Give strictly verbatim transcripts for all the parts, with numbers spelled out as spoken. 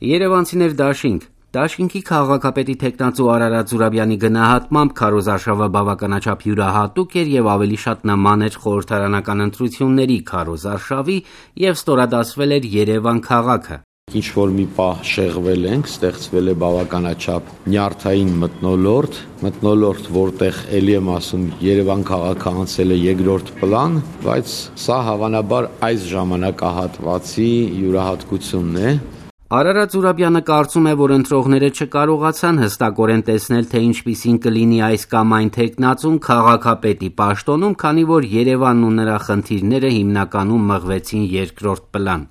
Երևանցիներ դաշինք Դաշինքի քաղաքապետի թեկնածու Արարատ Զուրաբյանի գնահատմամբ քարոզարշավը բավականաչափ յուրահատուկ էր եւ ավելի շատ նման էր խորհրդարանական ընտրությունների քարոզարշավի եւ ստորադասվել էր Երևան քաղաքը։ Ինչ որ մի պահ շեղվել ենք, ստեղծվել է բավականաչափ նյարդային մթնոլորտ, մթնոլորտ, որտեղ ելի եմ ասում, Երևան քաղաքը անցել է երկրորդ պլան, բայց սա հավանաբար այս ժամանակահատվածի յուրահատկությունն է։ Արարատ Զուրաբյանը կարծում է, որ ընտրողները չկարողացան հստակորեն տեսնել, թե ինչպիսին կլինի այս կամ այն թեկնածուն քաղաքապետի պաշտոնում, քանի որ Երևանն ու նրա խնդիրները հիմնականում մղվեցին երկրորդ պլան։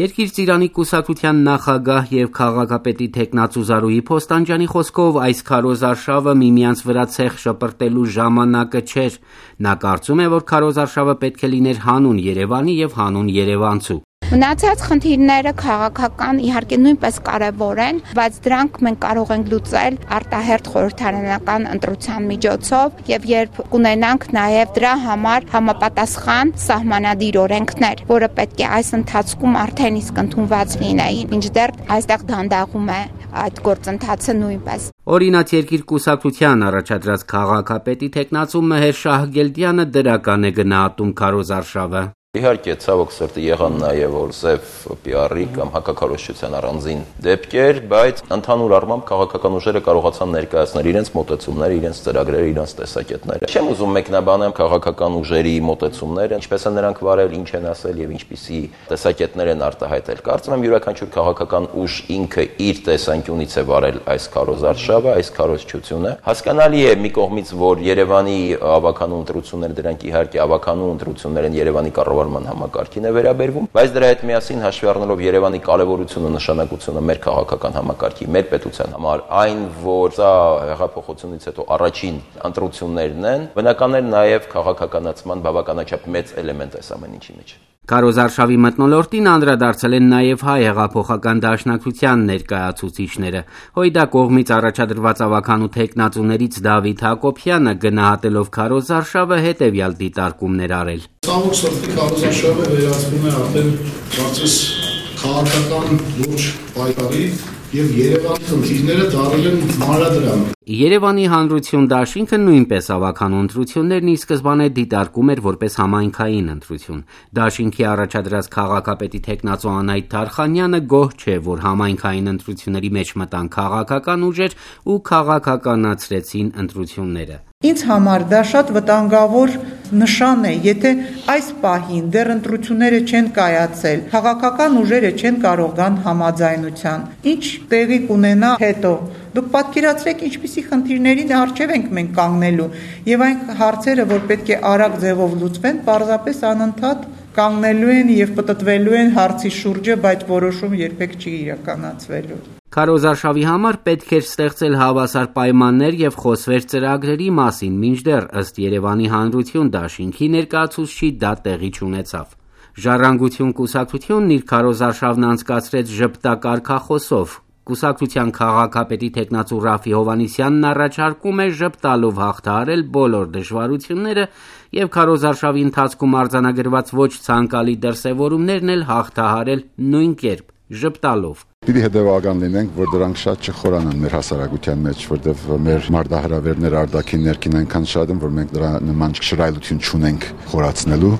Երկիր ծիրանի կուսակցության նախագահ եւ քաղաքապետի թեկնածու Զարուհի Փոստանջյանի խոսքով այս քարոզարշավը միմյանց վրա ցեխ շպրտելու ժամանակը չէր։ Նա կարծում է, որ քարոզարշավը պետք է լիներ հանուն Երևանի եւ հանուն երևանցու։ Մնացած խնդիրները քաղաքական իհարկե նույնպես կարևոր են, բայց դրանք մենք կարող ենք լուծել արտահերթ խորհրդարանական ընտրության միջոցով եւ երբ կունենանք նաեւ դրա համար համապատասխան սահմանադիր օրենքներ, որը պետք է այս ընթացքում արդեն իսկ ընդունված լինեին, մինչդեռ այստեղ դանդաղում է այդ գործընթացը նույնպես։ Օրինաց Երկիր կուսակցության առաջադրած քաղաքապետի թեկնածու Մեհեր Շահգելդյանը դրական է գնահատում քարոզարշավը։ Իհարկե, ցավոք սրտի եղան նաև որ սև պի արի կամ հակակարողության առանձին դեպքեր, բայց ընդհանուր առմամբ քաղաքական ուժերը կարողացան ներկայացնել իրենց մոտեցումները, իրենց ծրագրերը, իրենց տեսակետները։ Չեմ ուզում մեկնաբանել քաղաքական ուժերի մոտեցումները, ինչպես են նրանք վարել, ինչ են ասել եւ ինչպիսի տեսակետներ են արտահայտել։ Կարծում եմ յուրաքանչյուր քաղաքական ուժ ինքը իր տեսանկյունից է վարել այս քարոզարշավը, այս քարոզչությունը։ Հասկանալի է մի կողմից, որ Երևանի ավականու ընտրությունները դրանք իհարկե ավականու ընտրություններ են Երևանի կառավարման համակարգին է վերաբերվում, բայց դրա հետ միասին հաշվի առնելով Երևանի կարևորությունը, նշանակությունը մեր քաղաքական համակարգի, մեր պետության համար, այն, որ սա հեղափոխությունից հետո առաջին ընտրություններն են, բնական է նաև քաղաքականացման բավականաչափ մեծ էլեմենտ է ամեն ինչի մեջ։ Քարոզարշավի մթնոլորտին անդրադարձել են նաև հայ հեղափոխական դաշնակցության ներկայացուցիչները։ Հույդա կողմից առաջադրված ավականու թեկնածուներից Դավիթ Հակոբյանը գնահատելով քարոզարշավը հետևյալ դիտարկումներ արել։ Ցավոք սրտի քարոզարշավը վերածվում է արդեն կարծես քաղաքական լուրջ պայքարի եւ Երևանի խնդիրները դառել են մանրադրամ։ Երևանի հանրություն դաշինքը նույնպես ավականու ընտրություններն ի սկզբանե դիտարկում էր որպես համայնքային ընտրություն։ Դաշինքի առաջադրած քաղաքապետի թեկնածու Անահիտ Թարխանյանը գոհ չէ, որ համայնքային ընտրությունների մեջ մտան քաղաքական ուժեր ու քաղաքականացրեցին ընտրությունները։ Ինձ համար դա շատ վտանգավոր նշան է, եթե այս պահին դեռ ընտրությունները չեն կայացել, քաղաքական ուժերը չեն կարող գան համաձայնության, ինչ տեղի կունենա հետո։ Դուք պատկերացրեք ինչպիսի խնդիրների առջև ենք մենք կանգնելու եւ այն հարցերը, որ պետք է արագ ձևով լուծվեն, պարզապես անընդհատ կանգնելու են եւ պտտվելու են հարցի շուրջը, բայց որոշում երբեք չի իրականացվելու։ Քարոզարշավի համար պետք էր ստեղծել հավասար պայմաններ եւ խոսվեր ծրագրերի մասին, մինչդեռ ըստ Երևանի հանրություն դաշինքի ներկայացուցչի դա տեղի չունեցավ։ Ժառանգություն կուսակցությունն իր քարոզարշավն անցկացրեց ժպտակարգախոսով։ Կուսակցության քաղաքապետի թեկնածու Ռաֆի Հովհաննիսյանն առաջարկում է ժպտալով հաղթահարել բոլոր դժվարությունները եւ քարոզարշավի ընթացքում արձանագրված ոչ ցանկալի դրսեւորումներն էլ հաղթահարել նույն կերպ՝ ժպտալով։ Պիտի հետևական լինենք, որ դրանք շատ չխորանան մեր հասարակության մեջ, որտեղ մեր մարտահրավերները արտաքին ներքին այնքան շատ են, որ մենք դրա նման շռայլություն չունենք խորացնելու։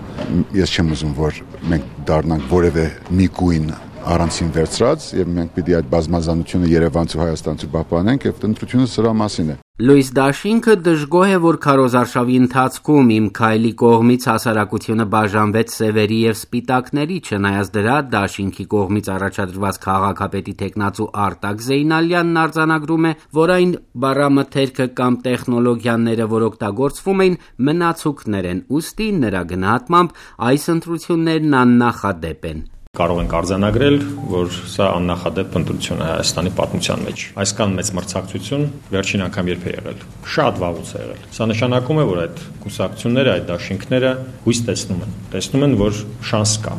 Ես չեմ ուզում, որ մենք դառնանք որևէ մի գույն առանցին վերծրած եւ մենք պիտի այդ բազմազանությունը Երևանցու Հայաստանցու պահպանենք եւ ընտրությունը սրա մասին է։ Լուիս Դաշինքը դժգոհ է, որ քարոզարշավի ընթացքում իմ քայլի կողմից հասարակությունը բաժանվեց սևերի եւ սպիտակների, չնայած դրա Դաշինքի կողմից առաջադրված քաղաքապետի թեկնածու Արտակ Զեյնալյանն արձանագրում է, որ այն բառամթերքը կամ տեխնոլոգիաները, որ օգտագործվում էին, մնացուկներ են, ուստի նրա գնահատմամբ այս ընտրություններն աննախադեպ են։ Կարող ենք արձանագրել, որ սա աննախադեպ ընտրություն է Հայաստանի պատմության մեջ։ Այսքան մեծ մրցակցություն վերջին անգամ երբ է եղել։ Շատ վաղուց է եղել։ Սա նշանակում է, որ այդ կուսակցությունները, այդ դաշինքները հույս տեսնում են։ Տեսնում են, որ շանս կա։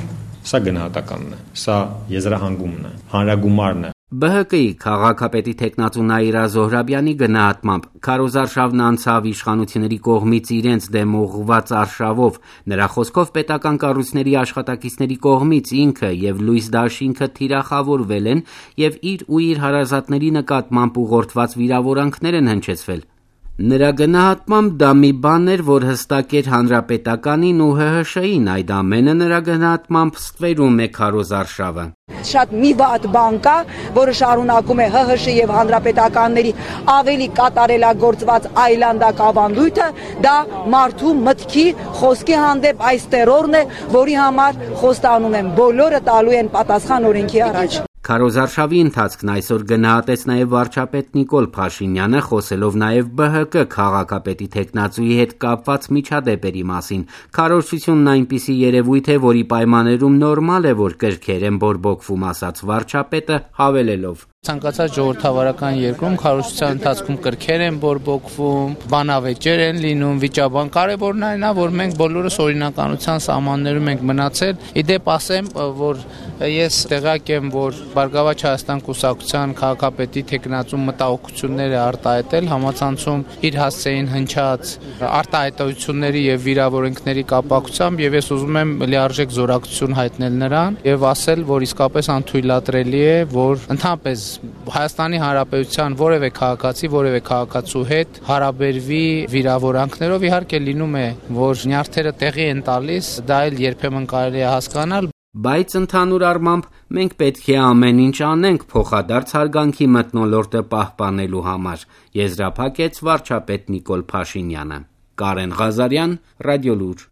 Սա գնահատականն է։ Սա եզրահանգումն է, հանրագումարն է։ Բը հը կի քաղաքապետի տեխնացու Նաիրա Զոհրաբյանի գնահատմամբ քարոզարշավն անցավ իշխանությունների կողմից իրենց դեմ ուղղված արշավով, նրա խոսքով պետական կառույցների աշխատակիցների կողմից ինքը եւ Լույս Դաշինքը թիրախավորվել են եւ իր ու իր հարազատների նկատմամբ ուղղորդված վիրավորանքներ են հնչեցվել։ Նրա գնահատմամբ դա մի բան էր, որ հստակ էր հանրապետականին ու Հ Հ Շ-ին, այդ ամենը նրա գնահատմամբ ստվերում է քարոզարշավը։ Շատ մի վատ բան կա, որը շարունակում է Հ Հ Շ եւ հանրապետականների ավելի կատարելագործված այլանդակ ավանդույթը, դա մարդու մտքի, խոսքի հանդեպ այս տերորն է, որի համար խոստանում եմ, բոլորը տալու են պատասխան օրենքի առաջ։ Քարոզարշավի ընթացքն այսօր գնահատեց նաև վարչապետ Նիկոլ Փաշինյանը, խոսելով նաև Բ Հ Կ քաղաքապետի տեխնացուի հետ կապված միջադեպերի մասին։ Քարոզչությունն այնպիսի երևույթ է, որի պայմաններում նորմալ է, որ կրքեր են բորբոքվում, ասաց վարչապետը, հավելելով. Ցանկացած ժողովրդավարական երկրում քարոզչության ընթացքում կրքեր են բորբոքվում, բանավեճեր են լինում, վիճաբան։ Կարևորն այն է, որ մենք բոլորս օրինականության սահմաններում ենք մնացել։ Իդեպ ասեմ, որ ես տեղյակ եմ, որ Բարգավաճ Հայաստան կուսակցության քաղաքապետի տեխնացու մտահոգությունները արտահայտել համացանցում իր հասցեին հնչած արտահայտությունների եւ վիրավորանքների կապակցությամբ, եւ ես ուզում եմ լիարժեք զորակցություն հայտնել նրան եւ ասել, որ իսկապես անթույլատրելի է, որ ընդհանրապես Հայաստանի Հանրապետության որևէ քաղաքացի, որևէ քաղաքացու հետ հարաբերվի վիրավորանքներով, իհարկե լինում է, որ նյարդերը տեղի են տալիս, դա էլ երբեմն կարելի է հասկանալ, բայց ընդհանուր առմամբ մենք պետք է ամեն ինչ անենք փոխադարձ հարգանքի մթնոլորտը պահպանելու համար, եզրափակեց վարչապետ Նիկոլ Փաշինյանը։ Կարեն Ղազարյան, Ռադիոլուր։